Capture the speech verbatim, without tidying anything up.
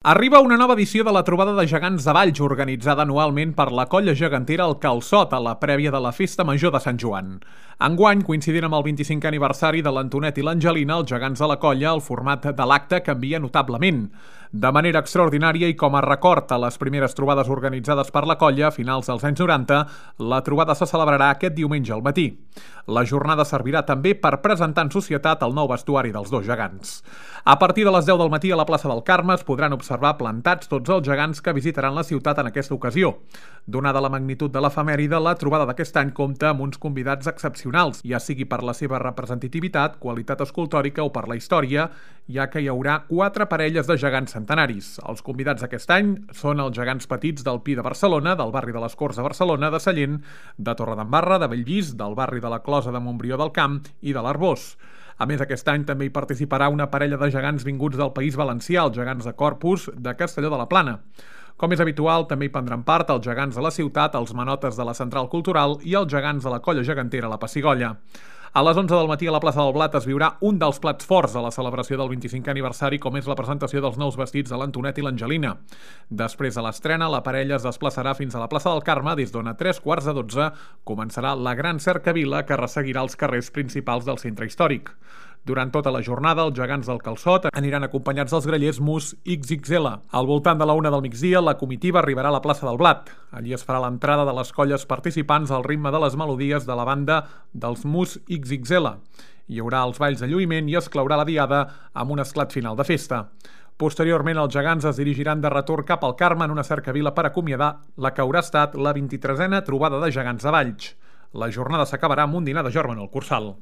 Arriba una nova edició de la Trobada de Gegants de Valls, organitzada anualment per la colla gegantera El Calçot, a la prèvia de la Festa Major de Sant Joan. Enguany, coincidint amb el vint-i-cinquè aniversari de l'Antonet i l'Angelina, els gegants de la colla, el format de l'acte canvia notablement. De manera extraordinària i com a record a les primeres trobades organitzades per la colla a finals dels anys noranta, la trobada se celebrarà aquest diumenge al matí. La jornada servirà també per presentar en societat el nou vestuari dels dos gegants. A partir de les deu del matí a la plaça del Carme es podran observar plantats tots els gegants que visitaran la ciutat en aquesta ocasió. Donada la magnitud de l'efemèride, la trobada d'aquest any compta amb uns convidats excepcionals, ja sigui per la seva representativitat, qualitat escultòrica o per la història, ja que hi haurà quatre parelles de gegants centenaris. Els convidats d'aquest any són els gegants petits del Pi de Barcelona, del barri de les Corts de Barcelona, de Sallent, de Torredembarra, de Bellvís, del barri de la Closa de Montbrió del Camp i de l'Arboç. A més, aquest any també hi participarà una parella de gegants vinguts del País Valencià, els gegants de Corpus de Castelló de la Plana. Com és habitual, també hi prendran part els gegants de la ciutat, els manotes de la Central Cultural i els gegants de la colla gegantera La Pessigollla. A les onze del matí a la plaça del Blat es viurà un dels plats forts de la celebració del vint-i-cinquè aniversari, com és la presentació dels nous vestits de l'Antonet i l'Angelina. Després de l'estrena, la parella es desplaçarà fins a la plaça del Carme, des d'on a tres quarts de dotze començarà la gran cercavila que resseguirà els carrers principals del centre històric. Durant tota la jornada, els gegants del Calçot aniran acompanyats dels grallers Mus ics ics ele. Al voltant de la una del migdia, la comitiva arribarà a la plaça del Blat. Allí es farà l'entrada de les colles participants al ritme de les melodies de la banda dels Mus ics ics ele. Hi haurà els balls de lluïment i es claurà la diada amb un esclat final de festa. Posteriorment, els gegants es dirigiran de retorn cap al Carme en una cercavila per acomiadar la que haurà estat la vint-i-tresena trobada de gegants de Valls. La jornada s'acabarà amb un dinar de jorn en el Cursal.